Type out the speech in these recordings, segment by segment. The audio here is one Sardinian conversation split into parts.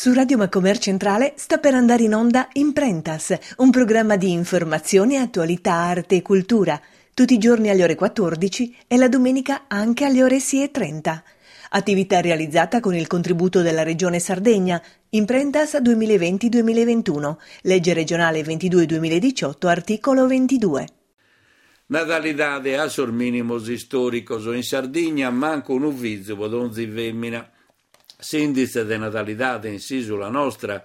Su Radio Macomer Centrale sta per andare in onda Imprentas, un programma di informazione, attualità, arte e cultura, tutti i giorni alle ore 14 e la domenica anche alle ore 6.30. Attività realizzata con il contributo della Regione Sardegna, Imprentas 2020-2021, legge regionale 22-2018, articolo 22. Natalidade a sos mìnimos istòricos, in Sardigna mancu unu fizu pro donzi fèmina. S'ìnditze de natalidade in s'ìsula nostra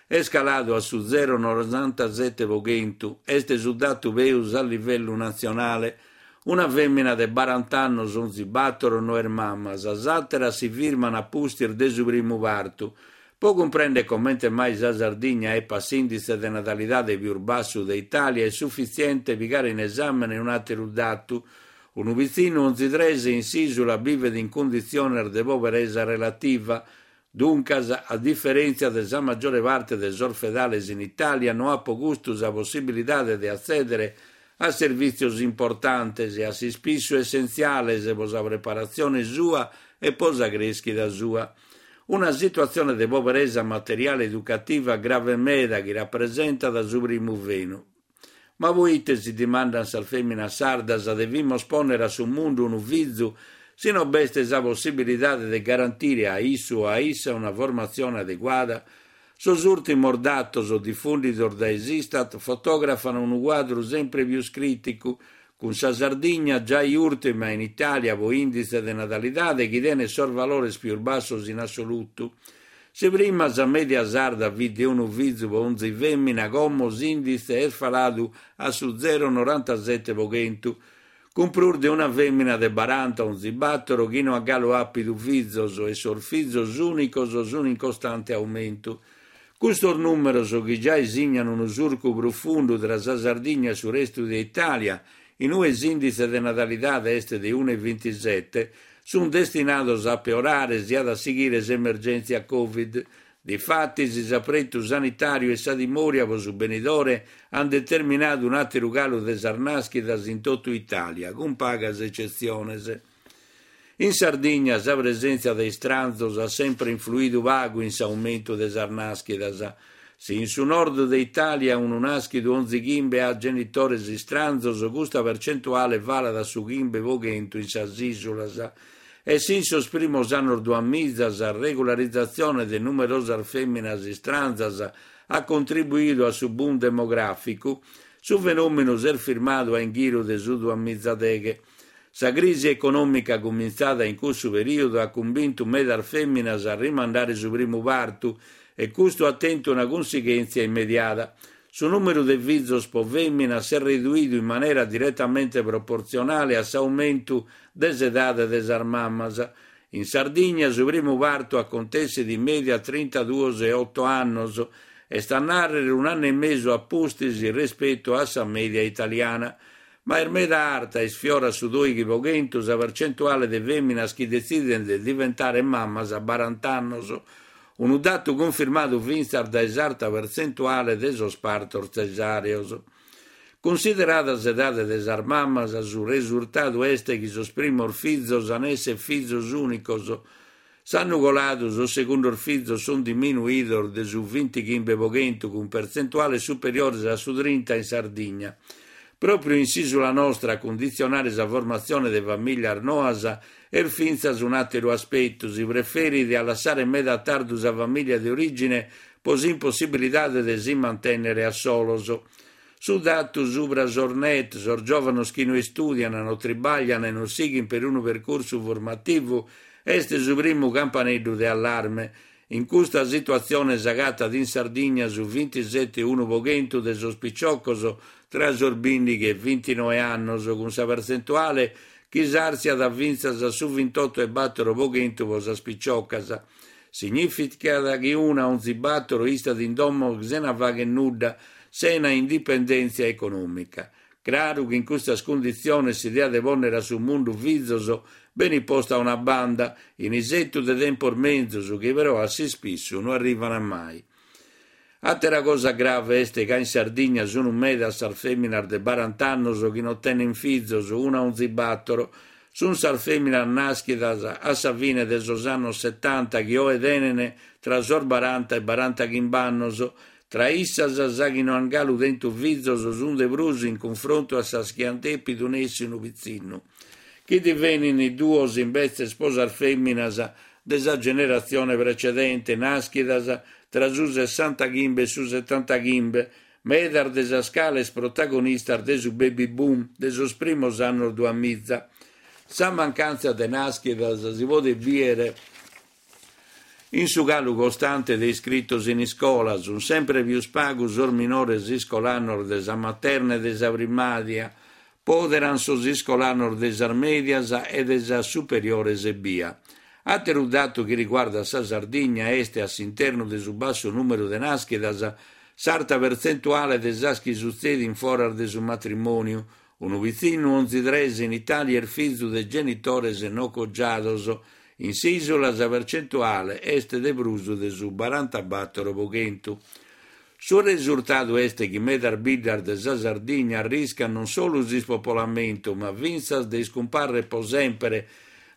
est caladu a su zero norantasete pro chentu, est su datu peus a livellu natzionale. Una fèmina de barant'annos onzi bàtoro no est mama, sas àteras si firman a pustis de su primu partu. Pro cumprèndere comente mai sa Sardigna epat s'ìnditze de natalidade pius bassu de Itàlia est sufitziente pigare in esàmene un'àteru datu, Unu pitzinnu onzi tres in s'ìsula bivet in cunditziones de poberesa relativa. Duncas, a diferèntzia de sa maggiore parte de sos fedales in Itàlia, no at pro custu sa possibilidade de atzèdere a servìtzios importantes e a s'ispissu essentziales pro sa preparatzione sua e pro sa crèschida sua. Una situatzione de poberesa materiale educativa grave meda chi rapresentat su primu fenu. Ma poite, si dimandant sas fèminas sardas, devimos pònnere a su mundu unu fizu si no b'est sa possibilidade de garantire a issu o a issa una formatzione adeguada? Sos ùrtimos datos difùndidos dae s'Istat fotògrafan unu cuadru sempre pius crìticu, cun sa Sardigna giai ùrtima in Itàlia pro ìnditze de natalidade chi tenet sos valores pius bassos in assolutu. Si prima sa mèdia sarda fit de unu fizu pro onzi fèmina, como s'ìnditze est faladu a su zero norantasete pro chentu, cun prus de una fèmina de baranta onzi bàtoro chi no at galu àpidu fizos e sos fizos ùnicos sun in costante aumentu. Custos nùmeros, chi giai signan unu surcu prufundu tra sa Sardigna e su restu de Itàlia, in ue s'ìnditze de natalidade est de unu e bintisete, sunt destinados a peorare si at a sighire s'emergèntzia Covid. Difatis, s'apretu sanitàriu e sa timòria pro su benidore ant determinadu un'àteru calu de sas nàschidas in totu Itàlia, cun pagas ecetziones. In Sardigna sa presèntzia de istranzos at sempre influidu pagu in s'aumentu de sas nàschidas. Si in su nord de Itàlia unu nàschidu onzi chimbe at genitores istranzos, custa percentuale falat a su chimbe pro chentu in sas ìsulas. E si in sos primos annos duamiza sa regularizatzione de numerosas fèminas istranzas at contribuidu a su boom demogràficu, su fenòmenu s'est firmadu a inghiru de su duamizadeghe. Sa crisi econòmica cumintzada in cussu perìodu at cumbintu medas fèminas a rimandare su primu partu e custu at tentu una cunsighèntzia immediata. Su nùmeru de fizos pro fèmina s'est reduidu in manera diretamente proportzionale a s'aumentu de s'edade de sas mamas. In Sardigna su primu partu acontessit in mèdia a trintaduos e oto annos, est a nàrrere un'annu e mesu a pustis respetu a sa mèdia italiana. Ma est meda arta, isfiorat su doighi pro chentu, sa percentuale de fèminas chi detzident de diventare mamas a barant'annos, unu datu cunfirmadu fintzas dae s'arta pertzentuale de sos partos tzesàreos. Cunsiderada s'edade de sas mamas, su resurtadu est chi sos primos fizos an esser fizos ùnicos. S'annu coladu sos segundos fizos sunt diminuidos de su vintichimbe pro chentu cun pertzentuales superiores a su trinta in Sardigna. Pròpriu in s'ìsula nostra a cunditzionare sa formatzione de famìllias noas est fintzas un'àteru aspetu, si preferit a lassare meda a tardu sa famìllia de orìgine pro s'impossibilidade de si mantènnere a solos. Su datu subra sos NEET, sos giòvanos chi no istùdian, no tribaglian e non sighint perunu percursu formativu, est su primu campaneddu de allarme. In custa situatzione s'agatat in Sardigna su vintisete e unu pro chentu de sos piciocos tra sos bìndighi e vintinoe annos, cun sa pertzentuale chi s'àrtziat fintzas a su vintotto e bàtoro pro chentu pro sas piciocas. Signìficat chi una onzi bàtoro istat in domo sena fàghere nudda, sena indipendèntzia econòmica. Craru chi in custas cunditziones s'idea de pònnere a su mundu fizos benit posta a una banda, in isetu de tempos menzus chi però a s'ispissu no arrivant mai. Àtera cosa grave est ca in Sardigna sunt medas sas fèminas de barant'annos chi non tenent fizos, una onzi bàtoro. Sun sas fèminas nàschidas a sa fine de sos annos setanta chi oe tenent tra sos baranta e barantachimb'annos. Tra issas, sas chi no ant galu tentu fizos sunt de prus in cunfrontu a sas chi ant dèpidu nessi unu pitzinnu, chi divenint duos imbetzes pro sas fèminas de sa generatzione precedente, nàschidas tra su sessantachimbe e su setantachimbe, medas de sas cales protagonistas de su baby boom de sos primos annos duamiza. Sa mancàntzia de nàschidas si podet bìdere in su calu costante de iscritos in iscola, sunt semper pius pagu sos minores iscolanos de sa materna e de sa primària, pòderan sos iscolanos de sas mèdias e de sas superiores ebbia. Àteru datu chi riguardat sa Sardigna est, a s'internu de su bassu nùmeru de nàschidas, s'arta pertzentuale de sas chi sutzedint foras de su matrimòniu, unu pitzinnu onzi tres in Itàlia est fizu de genitores no cogiados, in s'ìsula sa pertzentuale est de prus de su barantabàtoro pro chentu. Su resurtadu est chi medas biddas de sa Sardigna arriscant non solu s'ispopolamentu, ma fintzas de iscumparrer pro semper,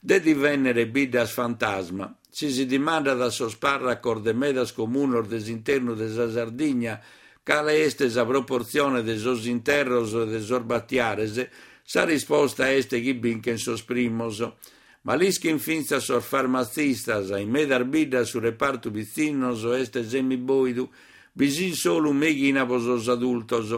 de divènnere biddas fantasma. Si si dimandat a sos pàrracos de medas comunos de s'internu de sa Sardigna cale est sa proportzione de sos interros e de sos batiares, sa risposta est chi binchent sos primos. Ma l'ischint fintzas sos farmatzistas, in medas biddas su repartu pitzinnos est semibòidu, bi sunt solu meighina pro sos adultos.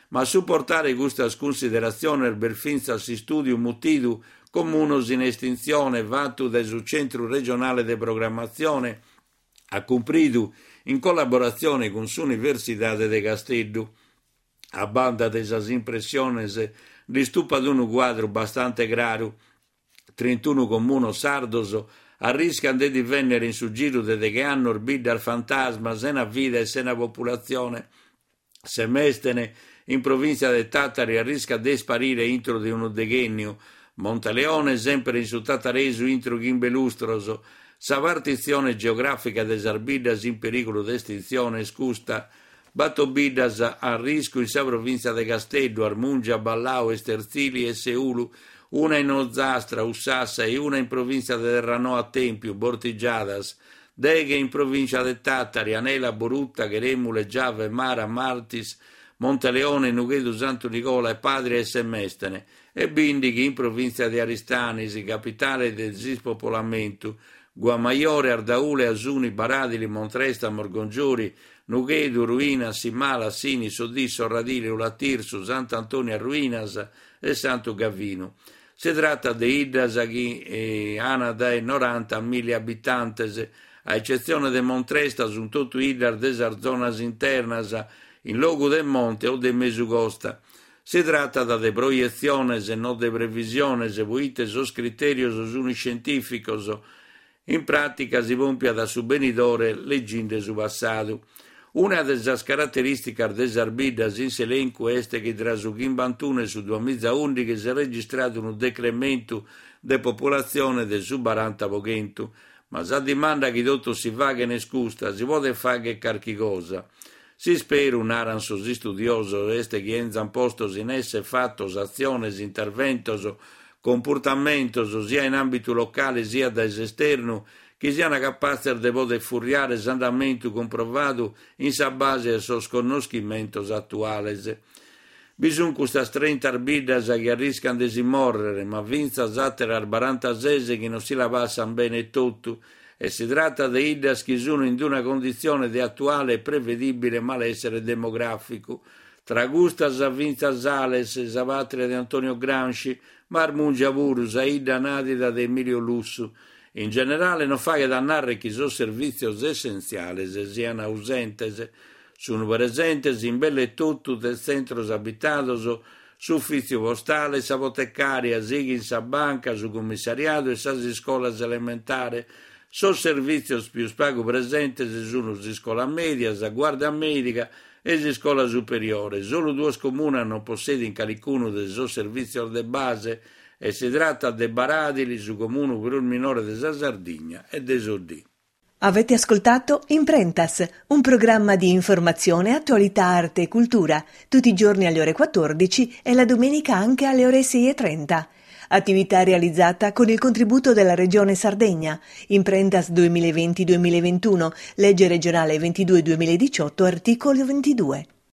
Ma a suportare custas cunsideratziones b'est fintzas s'istùdiu mutidu Comunos in estintzione fatu dae su Centru Regionale de Programmatzione acumpridu in collaboratzione cun s'Universidade de Casteddu. A banda de sas impressiones nd'istupat unu cuadru bastante craru. Trintunu comunos sardos arriscant de divènnere in su giru de deghe annos biddas fantasma sena vida e sena populatzione. Semèstene, in provìntzia de Tàtari, arriscat de isparire intro de unu deghènniu. Monteleone, semper in su tataresu intro chimbe lustros. Sa partitzione geogràfica de sas biddas in perìgulu de estintzione est custa, Bator biddas a arriscu in sa provìntzia de Casteddu, Armùngia, Ballau, Esterzili e Seulu, una in Ozastra, Ussassa e una in provìntzia de Terranoa Tèmpiu, Bortigiadas, deghe in provìntzia de Tàtari, Anela, Boruta, Cherèmule, Giave, Mara, Martis, Monteleone, Nughedu Santu Nigola e Pàdria e Semèstene, e bìndighi in provìntzia de Aristanis, capitale de s'ispopolamentu, Guamajore, Ardaule, Asuni, Baràdili, Montresta, Morgongiori, Nughedu, Ruinas, Simala, Sini, Soddì, Sorradile, Ula Tirsu, Sant'Antoni a Ruinas e Santu Gavinu. Si tratat de 'iddas chi an dae noranta a milli abitantes, a ecetzione de Montresta sunt totu 'iddas de sas zonas internas, in logu de monte o de mesu costa. Si tratat de proietziones e no de previsiones, poite sos critèrios sunt iscientìficos, In pràtica si pòmpiat a su benidore leginde su passadu. Una de sas caraterìsticas de sas biddas in s'elencu est chi tra su chimbantunu e su duamizaùndighi s'est registradu unu decrementu de populatzione de su baranta pro chentu. Ma sa dimanda chi totus si faghen est custa, si podet fagher carchi cosa? S'isperu, naran sos istudiosos, est chi 'enzan postos in essere fatos atziones, interventos, cumpurtamentos, sia in àmbitu locale siat dae s'esternu, chi sian capatzes de poder furriare s'andamentu cumprovadu in sa base 'e sos connoschimentos atuales. Bi sun custas trinta biddas chi arriscan de si mòrrere, ma fintzas àteras barantases chi non si la passan bene etotu, e si tratat de 'iddas chi sun in una conditzione de atuale e prevedìbile malèssere demogràficu. Tra custas fintzas Ales, sa pàtria de Antonio Gramsci, ma Armùngia puru, sa 'idda nàdida de Emilio Lussu. In generale non faghet a nàrrere chi sos servìtzios essentziales sian ausentes. Sunt presentes in belle totu de tzentros abitados s'ufìtziu postale, sa potecària, sighint sa banca, su cummissariadu e sas iscolas elementare. Sos servìtzios pius pagu presentes sunt s'iscola mèdia, sa guàrdia mèdica e s'iscola superiore. Solu duos comunas non possedint calicunu de sos servìtzios de base e si tratat de Baràdili, su comunu prus minore de sa Sardigna, e de Soddì. Avete ascoltato Imprentas, un programma di informazione, attualità, arte e cultura, tutti i giorni alle ore 14 e la domenica anche alle ore 6.30. Attività realizzata con il contributo della Regione Sardegna. Imprentas 2020-2021, legge regionale 22-2018, articolo 22.